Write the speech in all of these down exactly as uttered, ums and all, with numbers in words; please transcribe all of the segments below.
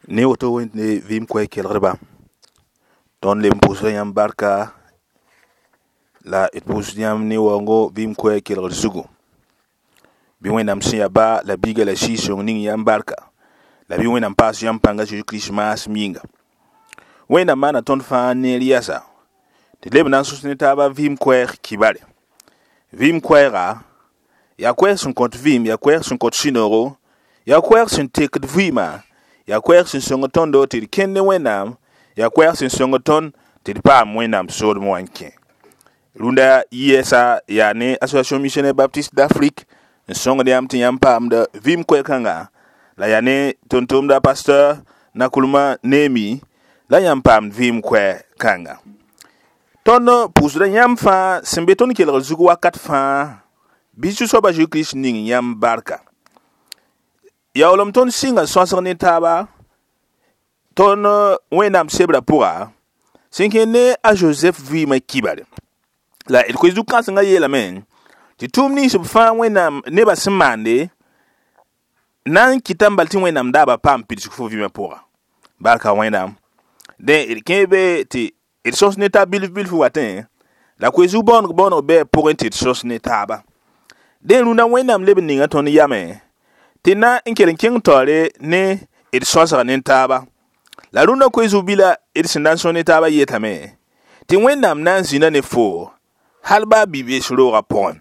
Ne woto wẽnd vɩɩm koɛɛg kelgdba tõnd leb n pʋʋsda yãmb barka la d pʋʋsd yãmb ne waoongo vɩɩm koɛɛg kelgd zugu bɩ Wẽnnaam sẽn yaa ba la biiga la Sɩɩg-sõng ning yãmb barka la bɩ Wẽnnaam paas yãmb pãnga Zeezi Kirist maasem yĩnga Wẽnnaam maana tõnd fãa neer yɛsa tɩ d leb na n sõs ne taaba vɩɩm koɛɛg kibare vɩɩm koɛɛga yaa koɛɛg sẽn kõt vɩɩm yaa koɛɛg sẽn kõt sũ-noogo yaa koɛɛg sẽn tekd vɩɩmã yaa koɛɛg sẽn sõng tõndo tɩ d kẽnd ne Wẽnnaam yaa koɛɛg sẽn sõng tõnd tɩ d paam Wẽnnaam soolem wã n kẽ rũndã yɛɛsa yaa ne Association Missionnaire Baptiste d'Afrique n sõngd yãmb tɩ yãmb paamd vɩɩm koɛɛg-kãnga la yaa ne tʋm-tʋmda pasteur Nakulma Nemi la yãmb paamd vɩɩm koɛɛg-kãnga tõnd pʋʋsda yãmb fãa sẽn be tõnd kelgr zug wakat fãa bɩ Zu-soabã Zeezi Kirist ning yãmb barka yaoolem tõnd sɩnga sõsg ne taaba tõnd Wẽnnaam sebrã pʋga sẽn kẽ ne a Josɛf vɩɩmã kibare la d koe zu-kãsengã yeelame tɩ tʋʋm nins b fãa Wẽnnaam nebã sẽn maande na n kɩta n bal tɩ Wẽnnaam daaba paam pidsg fo vɩɩmã pʋga barka Wẽnnaam dẽ d kẽ be tɩ d sõs ne taab bilf bilf watẽ la koe zug bõoneg bõoneg bɩ pʋgẽ tɩ d sõs ne taaba dẽ rũndã Wẽnnaam leb n ninga tõnd yamẽ tɩ na n kell n kẽng taoore ne d sõsga ne taaba la rũndã koe zug bila d sẽn na n sõs ne taaba yetame tɩ Wẽnnaam na n zĩna ne foo hal baa bi-bees roogã pʋgẽ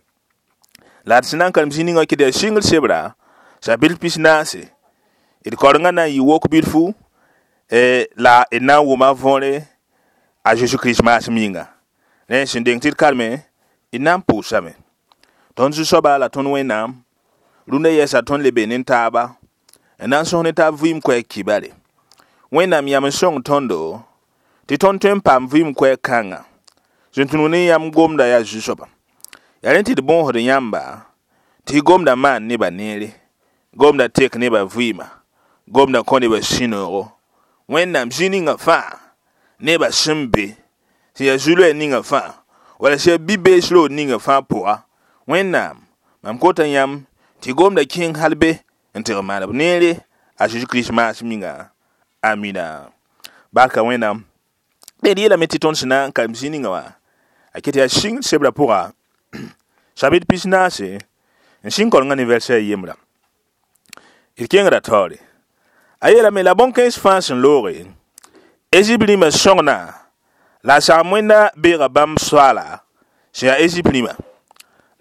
la d sẽn na n karem zĩ ninga kɩ yaa sɩngr sebra chapitre pis naase d kaorengã na n yɩ wok bilfu la d na n wʋma võore a Zeezi Kirist maasem yĩnga rẽ sẽn deng tɩ d karme d na n pʋʋsame tõnd Zu-soaba la tõnd Wẽnnaam rũndã yɛɛsa tõnd le be ne taaba n na n sõs ne taab vɩɩm koɛɛg kibare Wẽnnaam yam n sõng tõndo tɩ tõnd tõe n paam vɩɩm koɛɛg kãnga sẽn tũnu ne yãmb gomda yaa Zu-soaba yaa rẽ tɩ d bõosd yãmba tɩ gomda maan nebã neere gomda tek nebã vɩɩma gomda kõ nebã sũ-noogo Wẽnnaam zĩ ninga fãa nebã sẽn be sẽn yaa zu-loɛɛ ninga fãa wala sẽn yaa bi-bees roog ninga fãa pʋga Wẽnnaam mam kota yãmb tɩ gomda kẽng hal be n tɩg maan b neere a Zeezi Kirist maasem yĩnga amina barka Wẽnnaam d yeelame tɩ tõnd sẽn na n karem zĩ ninga wã a ket yaa sɩngd sebrã pʋga chapitre pis naase n sɩng kaorengã ne verset yembra d kẽngra taoore a yeelame la bõn-kãens fãa sẽn looge Ezip rĩmã sõngna la a sagem wẽnda beega bãmb soaala sẽn yaa Ezip rĩmã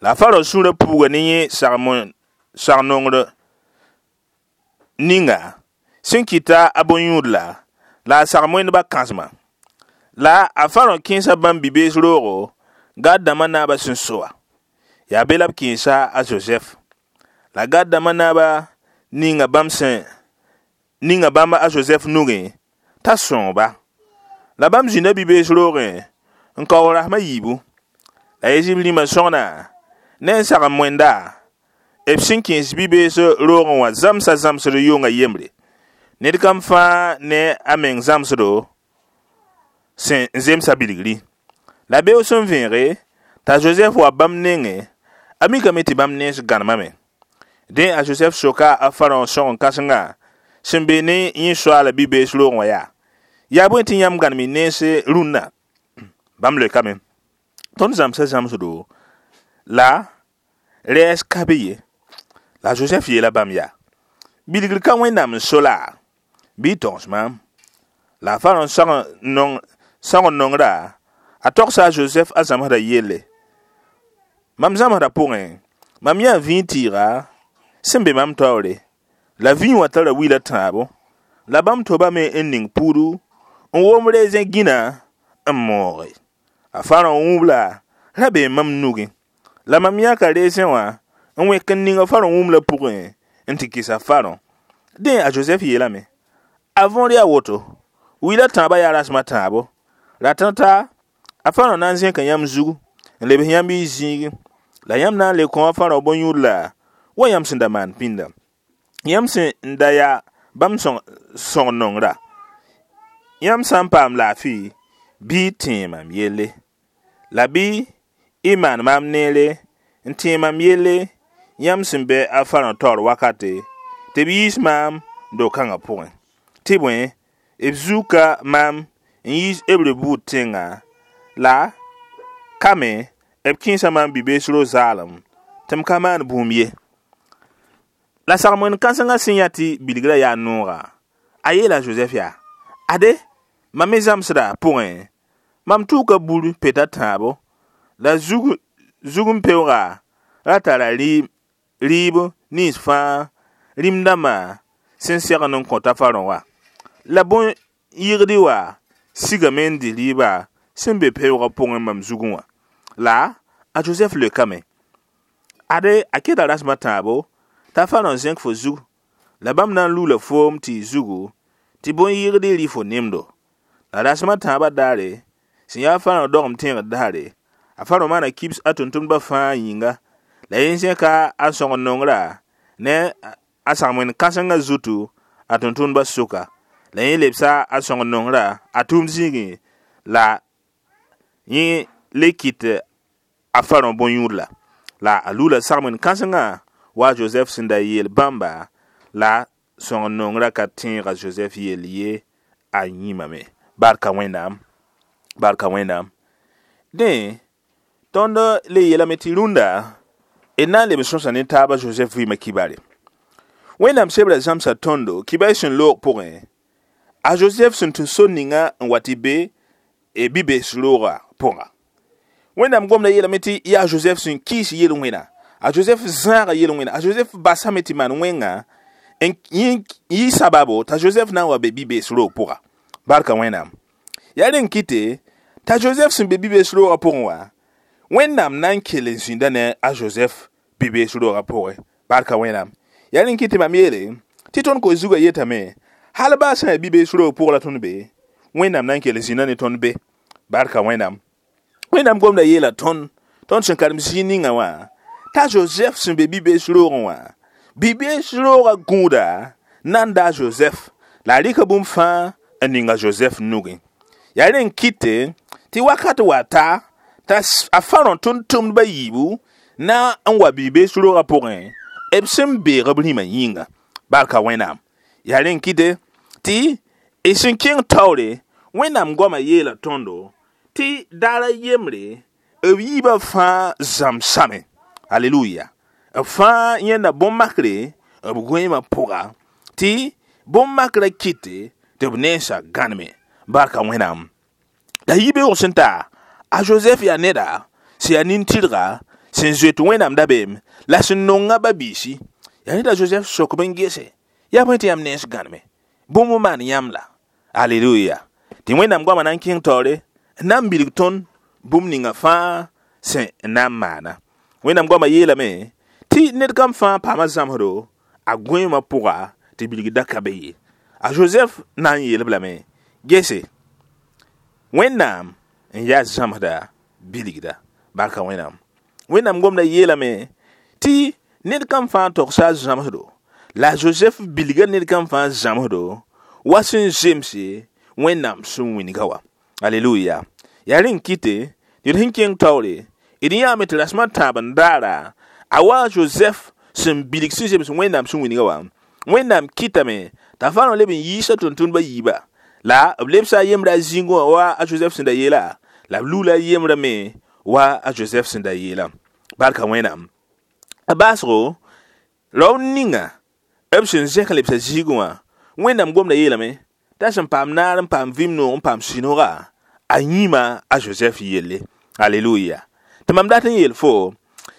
la Farao sũurã puuga ne yẽ sag-nongr ninga sẽn kɩta a bõn-yũud-la la a sagem wẽndbã kãsema la a Farao kẽesa bãmb bi-bees roogo Gad dãmbã naabã sẽn soa yaa be la b kẽesa a Zozɛf la Gad dãmbã naaba ninga bãmb sẽn ninga bãmb a Zozɛf nugẽ t'a sõng-ba la bãmb zĩnda bi-bees roogẽ n kaoog rasem a yiibu la Ezip rĩmã sõngna ne n sagem wẽnda b sẽn kẽes bi-bees roogẽ wã zãmsa zãmsd yʋnga yembre ned kam fãa ne a meng zãmsdo sẽn zemsa bilgri la beoog sẽn vẽege t'a Zozɛf wa bãmb nengẽ a mikame tɩ bãmb nens gãnemame dẽ a Zozɛf soka a Farao sõgen-kãsengã sẽn be ne yẽ soaala bi-bees roogẽ wã yaa yaa bõe tɩ yãmb gãnem y nens rũnnã bãmb leokame tõnd zãmsa zãmsdo la rɛɛs ka be ye la Zozɛf yeela bãmb yaa bilgr ka Wẽnnaam n so la bɩ y togs maam la a Farao sõgen-nongrã a togsa a Zozɛf a zãmsdã yelle mam zãmsdã pʋgẽ mam yãa vĩig tɩɩga sẽn be mam taoore la vĩig wã tara wila tãabo la bãmb tobame n ning puudu n wom rezẽ gĩna n mooge a Farao wũbla ra bee mam nugẽ la mam yãka rezẽ wã n wẽk n ning a Farao wũmla pʋgẽ n tɩ kɩs a Farao dẽ a Josɛf yeelame a võor yaa woto wila tãabã yaa rasem a tãabo rat n ta a Farao na n zẽka yãmb zugu n lebs yãmb y zĩigẽ la yãmb na n le kõ a Farao bõn-yũud-la wa yãmb sẽn da maan pĩnda yãmb sẽn da yaa bãmb sõng-nongrã yãmb sã n paam laafɩ bɩ y tẽe mam yelle la bɩ y maan maam neere n tẽe mam yelle yãmb sẽn bɛ a Farao taoor wakate tɩ b yiis maam do-kãngã pʋgẽ Tɩ bõe b zuka maam n yiis Hebre buud tẽnga la ka me b kẽesa maam bi-bees ro zaalem tɩ m ka maan bũmb ye. La sagm-wẽnd kãsengã sẽn yã tɩ bilgrã yaa nooga, a yeela a Josɛf yaa: ade mam me zãmsdã pʋgẽ, mam tʋʋka bur pet a tãabo la zug zugum-peooga ra tara rɩɩb nins fãa rĩm-dãmbã sẽn segend n kõta Farõ wã. La bõn-yɩgd wã sigame n dɩ rɩɩbã sẽn be peoogã pʋgẽ mam zugẽ wã. La a Josɛf leokame: ade a keta rasem a tãabo t'a Farõ zẽk fo zug la bãmb na n luula foom tɩ y zugu tɩ bõn-yɩgd rɩ fo nemdo. La rasem a tãabã daare sẽn yaa Farõ dogem tẽegd daare, a Farõ maana kibs a tʋm-tʋmdbã fãa yĩnga la yẽ zẽka a sõng-n-nongrã ne a sagm-wẽnd kãsengã zutu a tʋm-tʋmdbã sʋka. La yẽ lebsa a sõng-n-nongrã a tʋʋmd zĩigẽ la yẽ le kɩt a Farõ bõn-yũud-la. La a luula sagm-wẽnd kãsengã wa a Josɛf sẽn da yeel bãmba la sõng-n-nongrã ka tẽeg a Josɛf yell ye a yĩmame. Barka Wẽnnaam, barka Wẽnnaam. Dẽ tõnd le yeelame tɩ rũndã d na n leb n sõsa ne taaba Josɛf vɩɩmã kibare. Wẽnnaam sebrã zãmsa tõndo kibay sẽn loog pʋgẽ, a Josɛf sẽn tũ sor ninga n wa tɩ be bi-bees roogã pʋga. Wẽnnaam gomda yeelame tɩ yaa Josɛf sẽn kɩɩs yel-wẽna, a Josɛf zãaga yel-wẽna, a Josɛf basame tɩ maan wẽnga n yɩ sababo t'a Josɛf na n wa be bi-bees roog pʋga. Barka Wẽnnaam. Yaa rẽn kɩte t'a Josɛf sẽn be bi-bees roogã pʋgẽ wã, Wẽnnaam na n kell n zĩnda ne a Josɛf bi-bees roogã pʋgẽ. Barka Wẽnnaam. Yaa rẽn kɩt tɩ mam yeele tɩ tõnd koe zugã yetame hal baa sã n yaa bi-bees roog pʋg la tõnd be, Wẽnnaam na n kell n zĩnda ne tõnd be. Barka Wẽnnaam. Wẽnnaam gomda yeela tõnd, tõnd sẽn karem zĩig ninga wã, t'a Josɛf sẽn be bi-bees roogẽ wã, bi-bees roogã gũuda na n daa Josɛf la a rɩka bũmb fãa n ninga Josɛf nugẽ. Yaa rẽn kɩte tɩ wakat wa ta t'a a Farõ tʋm-tʋmdbã yiibu na n wa bi-bees roogã pʋgẽ b sẽn beeg b rĩmã yĩnga. Barka Wẽnnaam. Yaa rẽn kɩte tɩ y sẽn kẽng taoore Wẽnnaam goamã yeela tõndo tɩ daar a yembre b yiibã fãa zãmsame. Aleluya. B fãa yẽnda bõn-makre b goeemã pʋga tɩ bõn-makrã kɩte tɩ b nensã gãneme. Barka Wẽnnaam. La yibeoog sẽn ta, a Josɛf yaa neda sẽn yaa nin-tɩrga sẽn zoet Wẽnnaam dabeem la sẽn nonga ba-biisi. Yaa ned a Josɛf sok b n gese yaa bõe tɩ yãmb nens gãneme, bũmb n maan yãmb la. Aleluya. Tɩ Wẽnnaam goamã na n kẽng taoore n na n bilg tõnd bũmb ninga fãa sẽn na n maana. Wẽnnaam goamã yeelame tɩ ned kam fãa paama zãmsdo a goeemã pʋga tɩ bilg da ka be ye. A Josɛf na n yeel-b lame: gese, Wẽnnaam n yaa zãmsda bilgda. Barka Wẽnnaam. Wẽnnaam gomda yeelame tɩ ned kam fãa togsa a zãmsdo la Josɛf bilga ned kam fãa zãmsdo wa sẽn zemse Wẽnnaam sẽn wĩnga wã. Aleluya. Yaa rẽn kɩte tɩ d sẽn kẽng taoore d yãame tɩ rasem a tãab n daara a wa a Josɛf sẽn bilg sẽn zems Wẽnnaam sẽn wĩnga wã, Wẽnnaam kɩtame t'a Farõ leb n yiisa tʋm-tʋmdbã yiiba la b lebsa a yembrã a zĩngẽ wã wa a Josɛf sẽn da yeela la b luula a yembrã me wa a Josɛf sẽn da yeela. Barka Wẽnnaam. A baasgo raood ninga b sẽn zẽk n lebsa zĩigẽ wã, Wẽnnaam gomda yeelame t'a sẽn paam naar n paam vɩɩm noog n paam sũ-nooga a yĩma a Josɛf yelle. Aleluya. Tɩ mam dat n yeel fo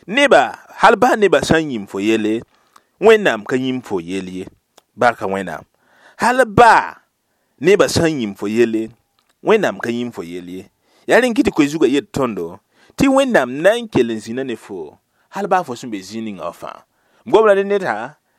neba hal baa nebã sã n yĩm fo yelle, Wẽnnaam ka yĩm fo yell ye. Barka Wẽnnaam. Hal baa nebã sã n yĩm fo yelle, Wẽnnaam ka yĩm fo yell ye. Yaa rẽn kɩ tɩ koe zugã yet tõndo tɩ Wẽnnaam na n kell n zĩna ne fo hal baa fo sẽn be zĩig ninga wã fãa. M gomda ne ned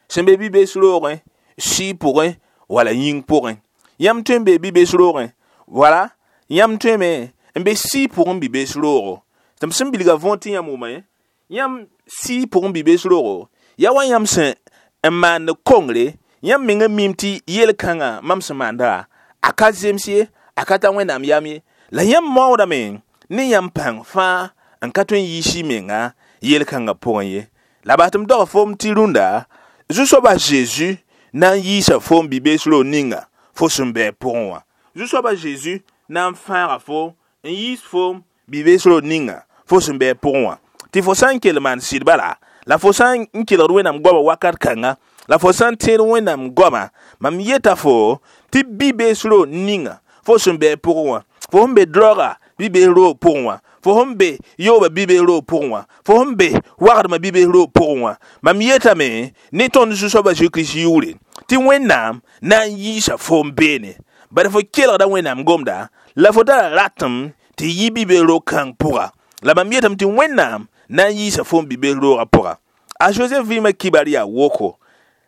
sẽn be bi-bees roogẽ, sɩɩ pʋgẽ wala yĩng pʋgẽ. Yãmb tõe n bee bi-bees roogẽ wala yãmb tõeme n be sɩɩ pʋgẽ bi-bees roogo. Tɩ m sẽn bilga võor tɩ yãmb wʋma yãmb sɩɩ pʋgẽ bi-bees roogo yaa wa yãmb sẽn n maand kongre, yãmb mengã mim tɩ yel-kãngã mam sẽn maanda a ka zems ye, a ka ta Wẽnnaam yam ye. La yãmb maoodame ne yãmb pãng fãa n ka tõe n yiis y menga yel-kãngã pʋgẽ ye. La bas tɩ m dog foom tɩ rũndã Zu-soaba Zeezi na n yiisa foom bi-bees roog ninga fo sẽn bɩ pʋgẽ wã Zu-soaba Zeezi na n fãaga fo n yiis foom bi-bees roog ninga fo sẽn bɩ pʋgẽ wã tɩ fo sã n kell maan sɩd bala la fo sã n kelgd Wẽnnaam goamã wakat kãnga la fo sã n tẽed Wẽnnaam goamã mam yeta fo tɩ bi-bees roog ninga fo sẽn bɩ pʋgẽ wã fo sẽn be droga bi-bees roog pʋgẽ wã fo sẽn be yooba bi-bees roog pʋgẽ wã fo sẽn be wagdmã bi-bees roog pʋgẽ wã mam yetame ne tõnd Zu-soaba Zeezi-Kirist yʋʋre tɩ Wẽnnaam na n yiisa foom beene bala fo kelgda Wẽnnaam gomda la fo tara ratem tɩ yi bi-bees roog kãng pʋga la mam yetame tɩ Wẽnnaam na n yiisa foom bi-bees roogã pʋga a Joseph vɩɩmã kibar yaa woko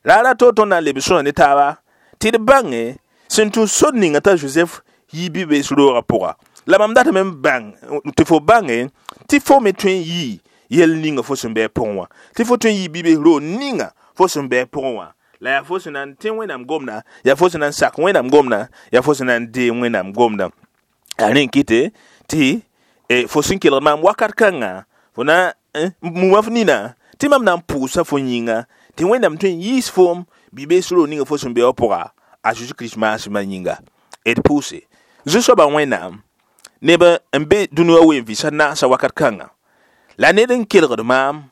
raara to tõnd na n leb sõsa ne taaba tɩ d bãnge sẽn tũ sor ninga t'a Joseph yi bi-bees roogã pʋga la mam datame n bãng tɩ fo bãnge tɩ fo me tõe n yii yɛl ninga fo sẽn bɩ pʋgẽ wã tɩ fo tõe n yii bi-bees roog ninga fo sẽn bɩ pʋgẽ wã la yaa fo sẽn na n tẽ Wẽnnaam gomda yaa fo sẽn na n sak Wẽnnaam gomda yaa fo sẽn na n deem Wẽnnaam gomda yaa rẽ n kɩte tɩ fo sẽn kelgd maam wakat kãnga fo na muma f nina tɩ mam na n pʋʋsa fo yĩnga tɩ Wẽnnaam tõe n yiis foom bi-bees roog ninga fo sẽn be wã pʋga a Zeezi-Kirist maasmã yĩnga d pʋʋse Zu-soabã Wẽnnaam neb n be dũni wã wen vɩsa naasã wakat kãnga la ned n kelgd maam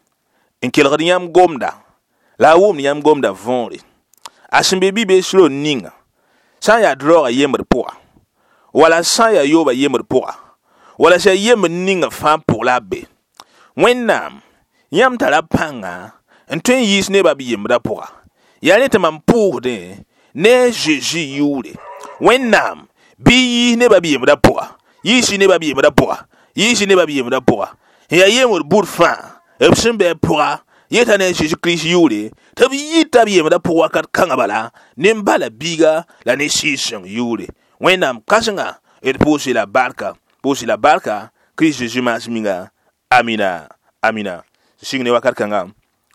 n kelgd yãmb gomda la a wʋmd yãmb gomda võore a sẽn be bi-bees roog ninga sã n yaa droogã yembd pʋga wala sã n yaa yooba yembd pʋga wala sã yembd ninga fãa pʋg la a be Wẽnnaam yãmb tara pãnga n tõe n yiis nebã b yembdã pʋga yaa rẽ tɩ mam pʋʋsdẽ ne a Zeezi yʋʋre Wẽnnaam bɩ yiis nebã b yembdã pʋga yiis nebã b yembdã pʋga yiis nebã b yembdã pʋga n yaa yembd bud fãa b sẽn bɩ pʋga yeta ne a Zeezi-Kirist yʋʋre tɩ b yita b yembdã pʋg wakat kãngã bala ne n bala biiga la ne Sɩɩg-sõng yʋʋre Wẽnnaam kãsenga d pʋʋs la barka pʋʋs la barka Kirist Zeezi maas minga amina amina sɩng ne wakat kãnga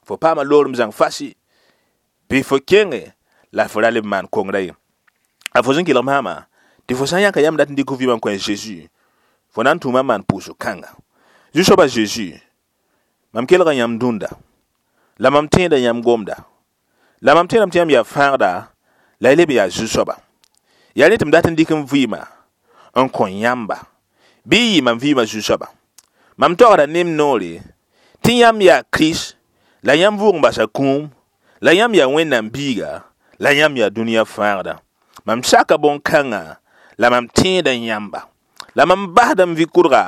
fo paama loorem zãng fasi bɩ fo kẽnge la fo ra leb maan kongrã ye a fo sẽn kelg maama tɩ fo sã n yãka yãmb dat n dɩk f vɩɩmã n kõ a Zeezi fo na n tũuma n maan pʋʋsg kãnga Zu-soaba Zeezi mam kelga yãmb dũnda la mam tẽeda yãmb gomda la mam tẽedame tɩ yãmb yaa fãagda la y leb yaa Zu-soaba yaa rẽ tɩ m dat n dɩk m vɩɩmã n kõ yãmba bɩ y yɩ mam vɩɩmã Zu-soaba mam tagsda ne m noore tɩ yãmb yaa Kirist la yãmb vʋʋg n basa kũum la yãmb yaa Wẽnnaam biiga la yãmb yaa dũniyã fãagda mam saka bõn-kãngã la mam tẽeda yãmba la mam basda m vɩ-kʋdga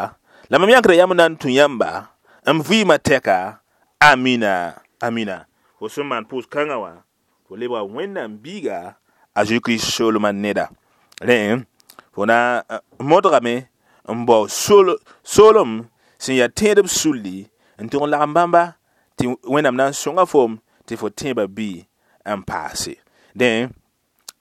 la mam yãkda yãmb na n tũ yãmba m vɩɩmã tɛka amina amina fo sẽn maan pʋʋs kãngã wã fo lebga Wẽnnaam biiga a Zeezi-Kirist soolmã neda rẽ fo na modgame n bao soolem sẽn yaa tẽedb sulli n tʋg n lagem bãmba tɩ Wẽnnaam na n sõnga foom tɩ fo tẽebã bɩ n paase dẽ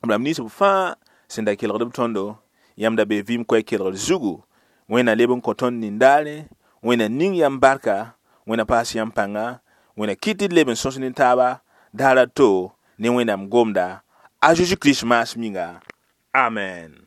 b rãmb nins b fãa sẽn da kelgd b tõndo yãmb da be vɩɩm koɛɛ kelgr zugu Wẽnna leb n kõ tõnd nin-daare Wẽnna ning yãmb barka Wẽnna paas yãmb pãnga Wẽnna kɩt tɩ d leb n sõs ne taaba daar a to ne Wẽnnaam gomda a Zeezi-Kirist maas minga amen.